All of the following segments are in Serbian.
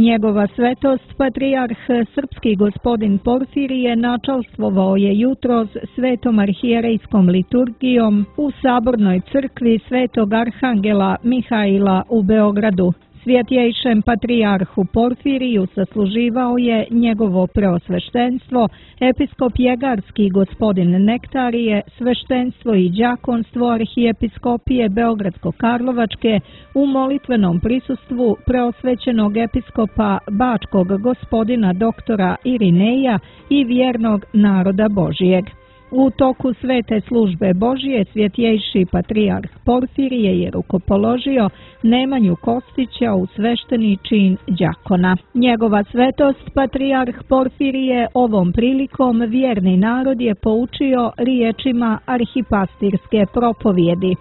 Njegova svetost, patrijarh srpski gospodin Porfirije, načalstvovao je jutros svetom arhijerejskom liturgijom u Sabornoj crkvi Svetog Arhangela Mihaila u Beogradu. Svjetjejšem patrijarhu Porfiriju sasluživao je njegovo preosveštenstvo, episkop Jegarski gospodin Nektarije, sveštenstvo i đakonstvo arhijepiskopije Beogradsko-Karlovačke u molitvenom prisustvu preosvećenog episkopa Bačkog gospodina doktora Irineja i vjernog naroda Božijeg. U toku svete službe Božije svjetjejši patrijarh Porfirije je rukopoložio Nemanju Kostića u svešteni čin đakona. Njegova svetost, patrijarh Porfirije, ovom prilikom vjerni narod je poučio riječima arhipastirske propovjedi.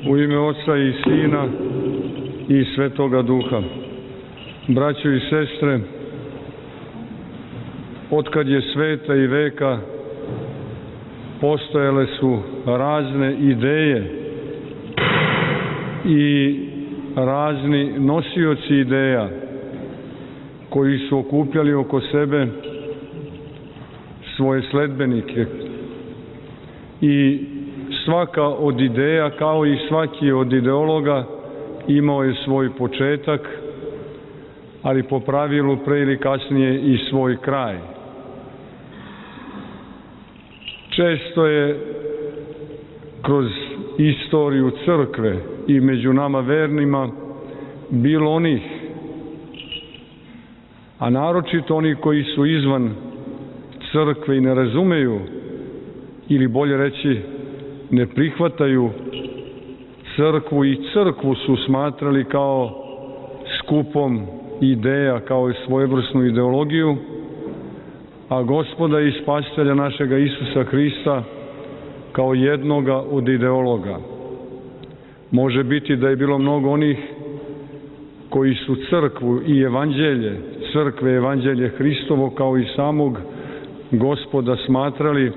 U ime Oca i Sina i Svetoga Duha. Braćo i sestre, otkad je sveta i veka postojale su razne ideje i razni nosioci ideja koji su okupljali oko sebe svoje sledbenike. I svaka od ideja, kao i svaki od ideologa, imao je svoj početak, ali po pravilu pre ili kasnije i svoj kraj. Često je kroz istoriju crkve i među nama vernima bilo onih, a naročito oni koji su izvan crkve i ne razumeju, ili bolje reći ne prihvataju crkvu i crkvu su smatrali kao skupom ideja, kao i svojevrsnu ideologiju, a Gospoda i Spasitelja našega Isusa Hrista kao jednoga od ideologa. Može biti da je bilo mnogo onih koji su crkvu i evanđelje, crkve i evanđelje Hristovo kao i samog Gospoda smatrali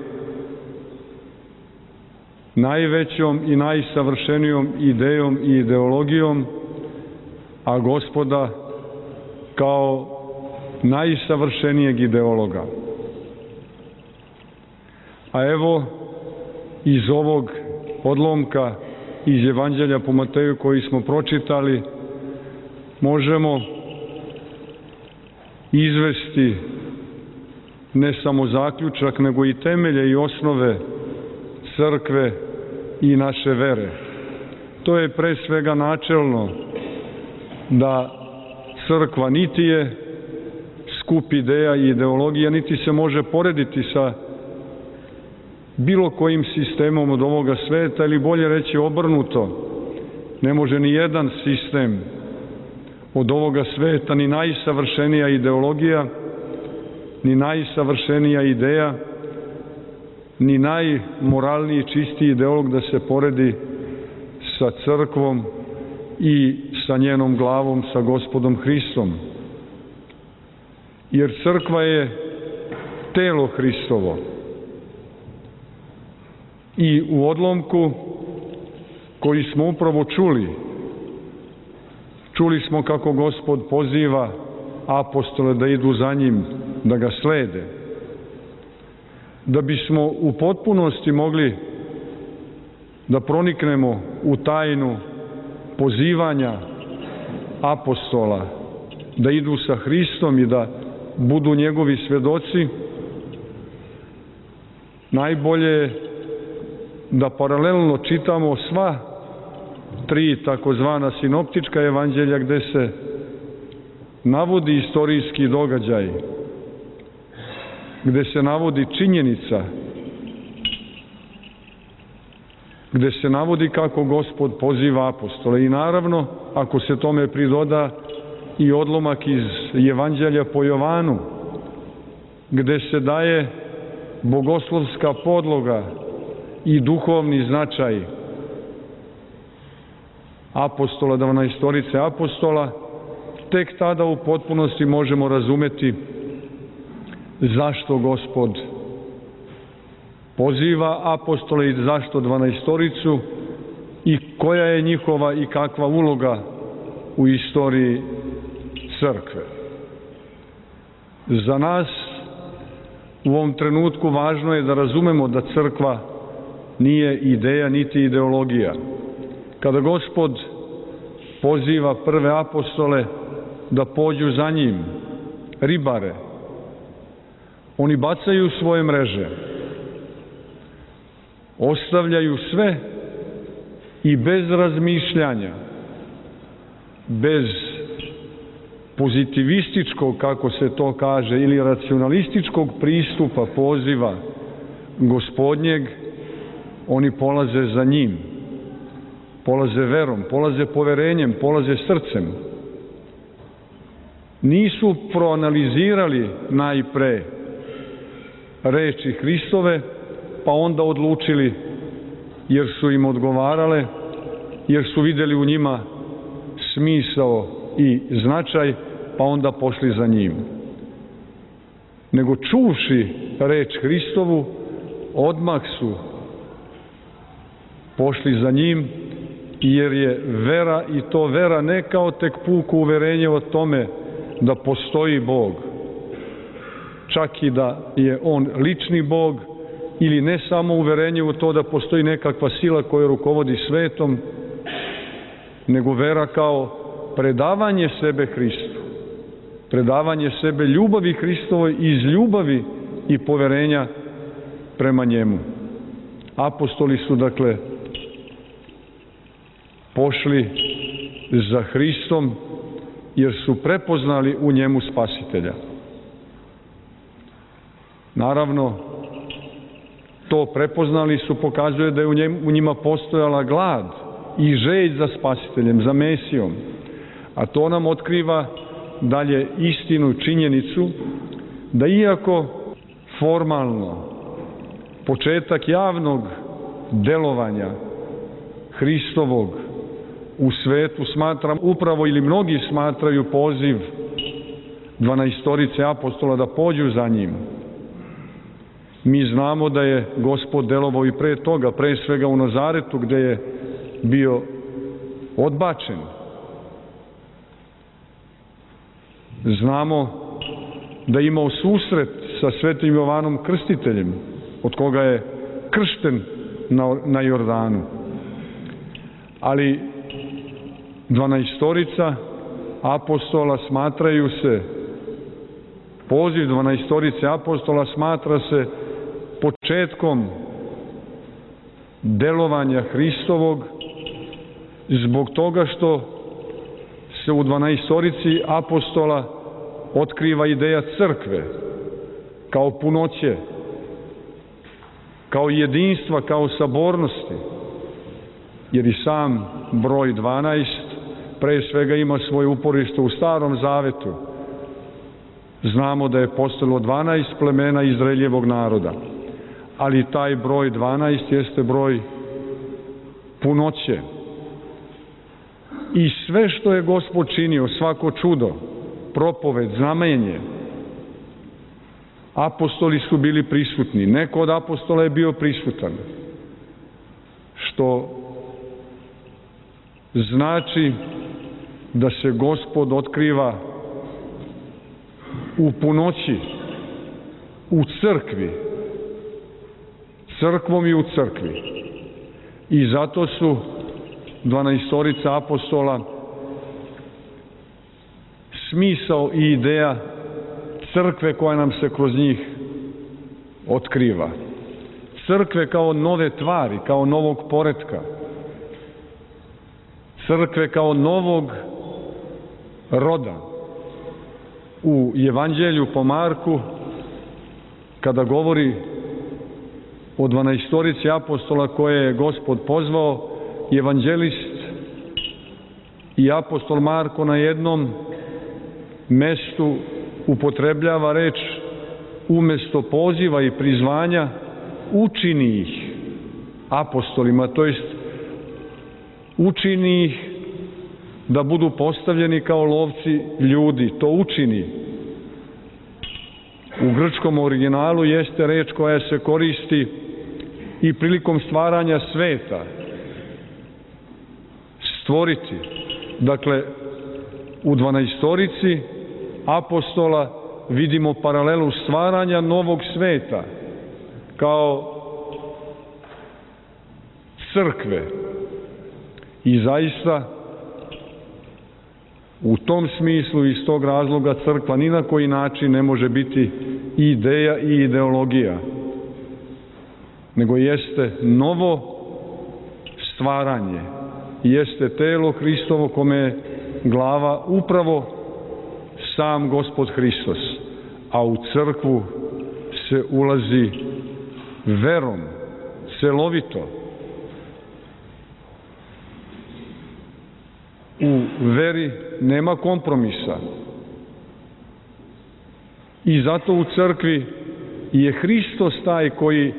najvećom i najsavršenijom idejom i ideologijom, a Gospoda kao najsavršenijeg ideologa. A evo, iz ovog odlomka iz Evanđelja po Mateju koji smo pročitali, možemo izvesti ne samo zaključak, nego i temelje i osnove crkve i naše vere. To je pre svega načelno da crkva niti je skup ideja i ideologija, niti se može porediti sa bilo kojim sistemom od ovoga sveta, ili bolje reći obrnuto. Ne može ni jedan sistem od ovoga sveta, ni najsavršenija ideologija, ni najsavršenija ideja, ni najmoralniji, čistiji ideolog da se poredi sa crkvom i sa njenom glavom, sa Gospodom Hristom. Jer crkva je telo Hristovo. I u odlomku koji smo upravo čuli smo kako Gospod poziva apostole da idu za njim, da ga slede. Da bismo u potpunosti mogli da proniknemo u tajnu pozivanja apostola, da idu sa Hristom i da budu njegovi svedoci, najbolje je da paralelno čitamo sva tri takozvana sinoptička evanđelja gde se navodi istorijski događaj, gde se navodi činjenica, gde se navodi kako Gospod poziva apostole. I naravno, ako se tome pridoda i odlomak iz Evanđelja po Jovanu, gde se daje bogoslovska podloga i duhovni značaj apostola, 12 apostola, tek tada u potpunosti možemo razumeti zašto Gospod poziva apostole i zašto 12 i koja je njihova i kakva uloga u istoriji crkve. Za nas u ovom trenutku važno je da razumemo da crkva nije ideja niti ideologija. Kada Gospod poziva prve apostole da pođu za njim, ribare, oni bacaju svoje mreže, ostavljaju sve i bez razmišljanja, bez pozitivističkog, kako se to kaže, ili racionalističkog pristupa poziva Gospodnjeg, oni polaze za njim, polaze verom, polaze poverenjem, polaze srcem. Nisu proanalizirali najpre reči Hristove, pa onda odlučili, jer su im odgovarale, jer su vidjeli u njima smisao i značaj, pa onda pošli za njim. Nego čuvši reč Hristovu, odmah su pošli za njim, jer je vera, i to vera ne kao tek puko uverenje o tome da postoji Bog, čak i da je On lični Bog, ili ne samo uverenje u to da postoji nekakva sila koja rukovodi svetom, nego vera kao predavanje sebe Hristu, predavanje sebe ljubavi Hristovoj iz ljubavi i poverenja prema njemu. Apostoli su, dakle, pošli za Hristom jer su prepoznali u njemu Spasitelja. Naravno, to prepoznali su, pokazuje da je u njima postojala glad i želj za Spasiteljem, za Mesijom. A to nam otkriva dalje istinu, činjenicu, da iako formalno početak javnog delovanja Hristovog u svetu smatram upravo, ili mnogi smatraju poziv 12 apostola da pođu za njim, mi znamo da je Gospod delovao i pre toga, pre svega u Nazaretu, gde je bio odbačen. Znamo da je imao susret sa svetim Jovanom Krstiteljem, od koga je kršten na Jordanu. Ali 12 apostola smatraju se, poziv 12 apostola smatra se početkom delovanja Hristovog, zbog toga što se u 12 apostola otkriva ideja crkve kao punoće, kao jedinstva, kao sabornosti, jer i sam broj 12 pre svega ima svoje uporište u Starom Zavetu. Znamo da je postojalo 12 plemena Izraeljevog naroda, ali taj broj 12 jeste broj punoće. I sve što je Gospod činio, svako čudo, propoved, znamenje, apostoli su bili prisutni. Neko od apostola je bio prisutan, što znači da se Gospod otkriva u punoći, u crkvi, crkvom i u crkvi. I zato su 12 apostola smisao i ideja crkve koja nam se kroz njih otkriva. Crkve kao nove tvari, kao novog poretka. Crkve kao novog roda. U Evanđelju po Marku, kada govori o 12 apostola koje je Gospod pozvao, evanđelist i apostol Marko na jednom mestu upotrebljava reč umesto poziva i prizvanja, učini ih apostolima, to jest učini ih da budu postavljeni kao lovci ljudi. To učini u grčkom originalu jeste reč koja se koristi i prilikom stvaranja sveta. Stvoriti. Dakle, u 12 apostola vidimo paralelu stvaranja novog sveta kao crkve. I zaista u tom smislu i iz tog razloga crkva ni na koji način ne može biti ideja i ideologija, nego jeste novo stvaranje, jeste telo Hristovo kome je glava upravo sam Gospod Hristos, a u crkvu se ulazi verom, celovito. U veri nema kompromisa. I zato u crkvi je Hristos taj koji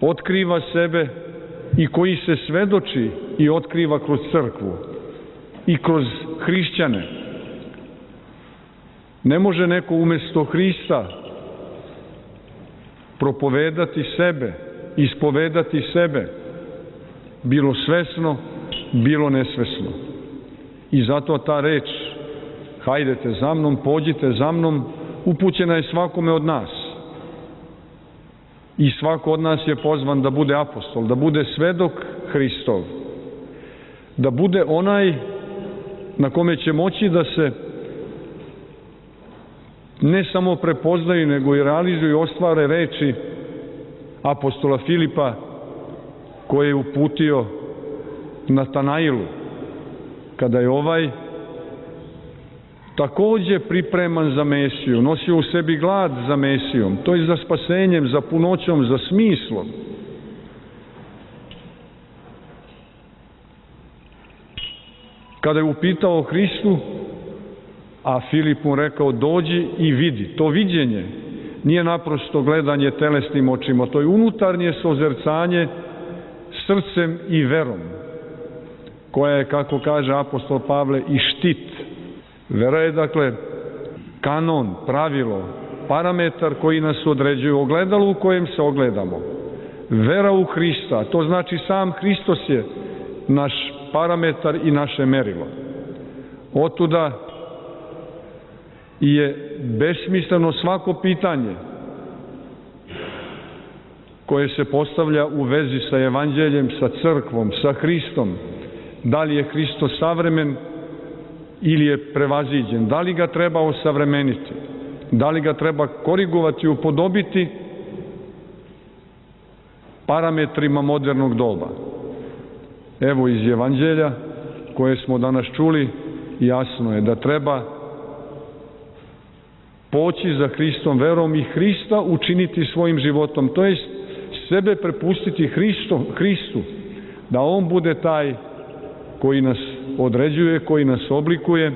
otkriva sebe i koji se svedoči i otkriva kroz crkvu i kroz hrišćane. Ne može neko umjesto Hrista propovedati sebe, ispovedati sebe, bilo svesno, bilo nesvesno. I zato ta reč, hajdete za mnom, pođite za mnom, upućena je svakome od nas. I svako od nas je pozvan da bude apostol, da bude svedok Hristov, da bude onaj na kome će moći da se ne samo prepoznaju, nego i realizuju i ostvare reči apostola Filipa koje je uputio Natanailu, kada je ovaj takođe pripreman za Mesiju, nosio u sebi glad za Mesijom, to je za spasenjem, za punoćom, za smislom. Kada je upitao Hristu, a Filip mu rekao dođi i vidi, to viđenje nije naprosto gledanje telesnim očima, to je unutarnje sozercanje srcem i verom, koja je, kako kaže apostol Pavle, i štit. Vera je, dakle, kanon, pravilo, parametar koji nas određuje, ogledalo u kojem se ogledamo. Vera u Hrista, to znači sam Hristos je naš parametar i naše merilo. Otuda je besmisleno svako pitanje koje se postavlja u vezi sa evanđeljem, sa crkvom, sa Hristom. Da li je Hristos savremen ili je prevaziđen? Da li ga treba osavremeniti? Da li ga treba korigovati, upodobiti parametrima modernog doba? Evo iz evanđelja koje smo danas čuli, jasno je da treba poći za Hristom verom i Hrista učiniti svojim životom, to jest sebe prepustiti Hristu, da on bude taj koji nas određuje, koji nas oblikuje,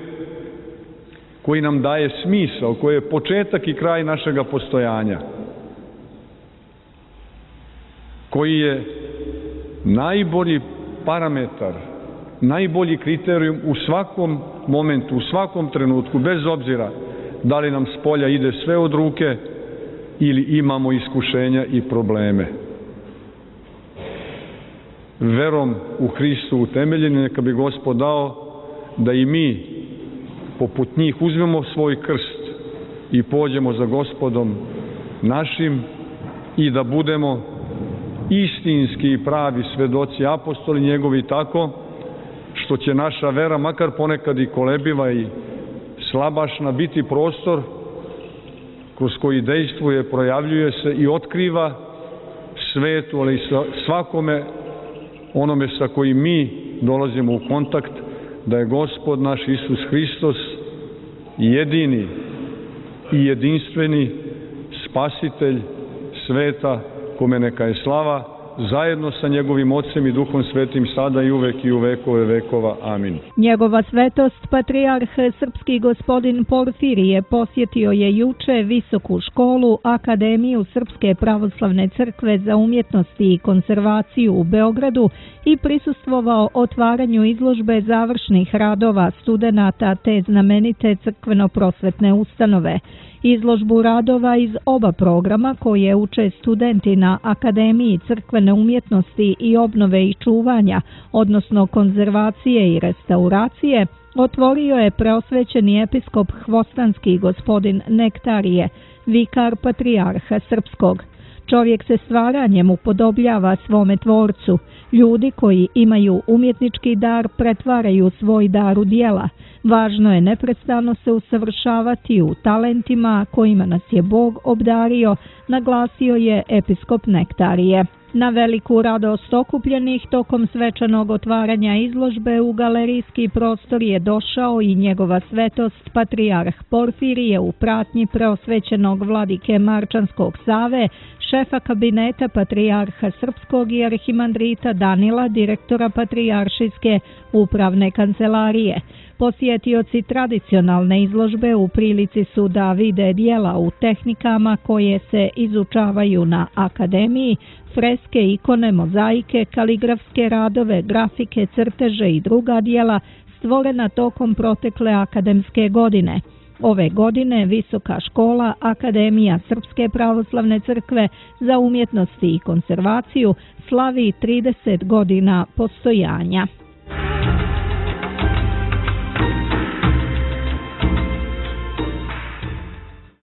koji nam daje smisao, koji je početak i kraj našega postojanja, koji je najbolji parametar, najbolji kriterijum u svakom momentu, u svakom trenutku, bez obzira da li nam s polja ide sve od ruke ili imamo iskušenja i probleme. Verom u Hristu utemeljeni, neka bi Gospod dao da i mi poput njih uzmemo svoj krst i pođemo za Gospodom našim i da budemo istinski i pravi svedoci, apostoli njegovi, tako što će naša vera, makar ponekad i kolebiva i slabašna, biti prostor kroz koji dejstvuje, projavljuje se i otkriva svetu, ali i svakome onome sa kojim mi dolazimo u kontakt, da je Gospod naš Isus Hristos jedini i jedinstveni spasitelj sveta, kome neka je slava zajedno sa njegovim Ocem i Duhom Svetim sada i uvek i u vekove vekova. Amin. Njegova svetost, patrijarh srpski gospodin Porfirije, posjetio je juče Visoku školu Akademiju Srpske pravoslavne crkve za umjetnosti i konzervaciju u Beogradu i prisustvovao otvaranju izložbe završnih radova studenata te znamenite crkveno-prosvetne ustanove. Izložbu radova iz oba programa koje uče studenti na Akademiji crkvene umjetnosti i obnove i čuvanja, odnosno konzervacije i restauracije, otvorio je preosvećeni episkop Hvostanski gospodin Nektarije, vikar patrijarha srpskog. Čovjek se stvaranjem upodobljava svome tvorcu. Ljudi koji imaju umjetnički dar pretvaraju svoj dar u djela. Važno je neprestano se usavršavati u talentima kojima nas je Bog obdario, naglasio je episkop Nektarije. Na veliku radost okupljenih tokom svečanog otvaranja izložbe u galerijski prostor je došao i njegova svetost patrijarh Porfirije u pratnji preosvećenog vladike Marčanskog Save, šefa kabineta patrijarha srpskog i arhimandrita Danila, direktora patrijaršijske upravne kancelarije. Posjetioci tradicionalne izložbe u prilici su da vide djela u tehnikama koje se izučavaju na akademiji, freske, ikone, mozaike, kaligrafske radove, grafike, crteže i druga djela stvorena tokom protekle akademske godine. Ove godine Visoka škola Akademija Srpske pravoslavne crkve za umjetnost i konzervaciju slavi 30 godina postojanja.